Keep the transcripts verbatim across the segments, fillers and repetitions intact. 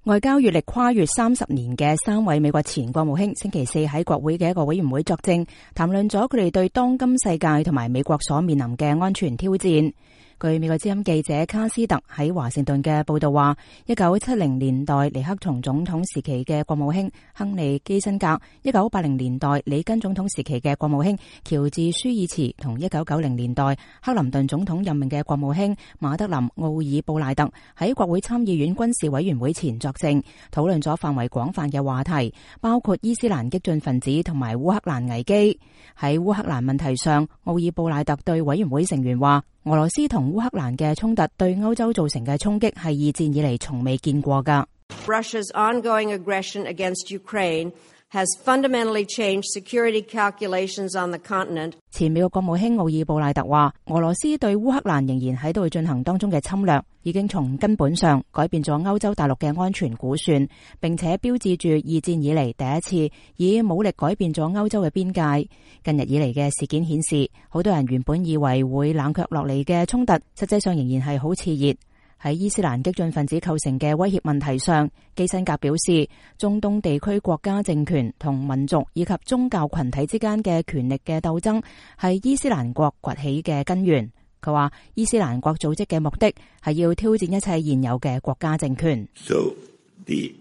外交閱歷跨越三十年嘅三位美國前國務卿星期四喺國會嘅一個委員會作證，談論咗佢哋對當今世界同埋美國所面臨嘅安全挑戰。據美國之音記者卡斯特喺華盛頓嘅報道話，一九七零年代尼克松總統時期嘅國務卿亨利基辛格，一九八零年代里根總統時期嘅國務卿喬治舒爾茨，同一九九零年代克林頓總統任命嘅國務卿馬德林奧爾布賴特喺國會參議院軍事委員會前作證，討論咗範圍廣泛嘅話題，包括伊斯蘭激進分子同埋烏克蘭危機。喺烏克蘭問題上，奧爾布賴特對委員會成員話，俄羅斯同烏克蘭嘅衝突對歐洲造成嘅衝擊係二戰以嚟從未見過㗎。Russia's ongoing aggression against Ukraine has fundamentally changed security calculations on the continent. 前美國國務卿奧爾布賴特話，俄羅斯對烏克蘭仍然喺度進行當中嘅侵略，已經從根本上改變咗歐洲大陸嘅安全估算，並且標誌住二戰以嚟第一次以武力改變咗歐洲嘅邊界。近日以嚟嘅事件顯示，好多人原本以為會冷卻落嚟嘅衝突，實際上仍然係好熾熱。喺伊斯蘭激進分子構成嘅威脅問題上，基辛格表示，中東地區國家政權同民族以及宗教群體之間嘅權力嘅鬥爭係伊斯蘭國崛起嘅根源。佢話，伊斯蘭國組織嘅目的係要挑戰一切現有嘅國家政權。So the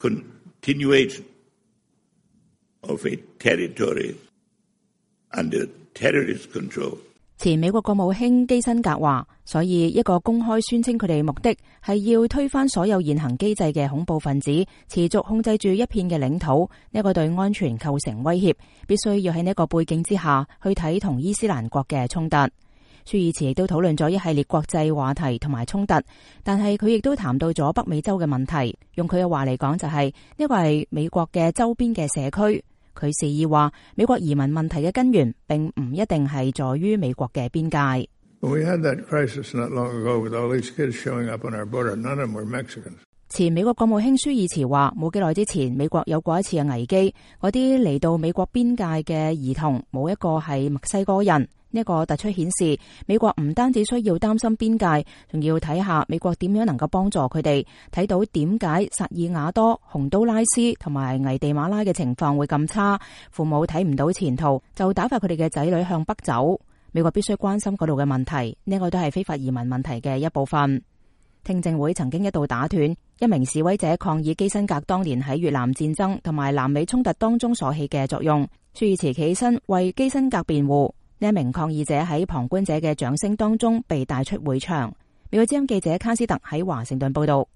continuation of a territory under terrorist control。前美國國務卿基辛格話，所以一個公開宣稱佢哋目的係要推翻所有現行機制嘅恐怖分子持續控制住一片嘅領土，呢個對安全構成威脅，必須要喺呢個背景之下去睇同伊斯蘭國嘅衝突。舒爾茨亦都討論咗一系列國際話題同埋衝突，但係佢亦都談到咗北美洲嘅問題。用佢嘅話嚟講，就係呢個係美國嘅周邊嘅社區。佢示意話，美國移民問題嘅根源並唔一定係在於美國嘅邊界。前美國國務卿舒爾茨話，冇幾耐之前，美國有過一次嘅危機，嗰啲嚟到美國邊界嘅兒童冇一個係墨西哥人。呢個突出顯示，美國唔單止需要擔心邊界，仲要睇下美國點樣能夠幫助佢哋，睇到點解薩爾瓦多、洪都拉斯同埋危地馬拉嘅情況會咁差，父母睇唔到前途，就打發佢哋嘅仔女向北走。美國必須關心嗰度嘅問題，呢個都係非法移民問題嘅一部分。聽證會曾經一度打斷，一名示威者抗議基辛格當年喺越南戰爭同埋南美衝突當中所起嘅作用。舒爾茨起身為基辛格辯護。呢一名抗議者喺旁觀者嘅掌聲當中被帶出會場。美國之音記者卡斯特喺華盛頓報道。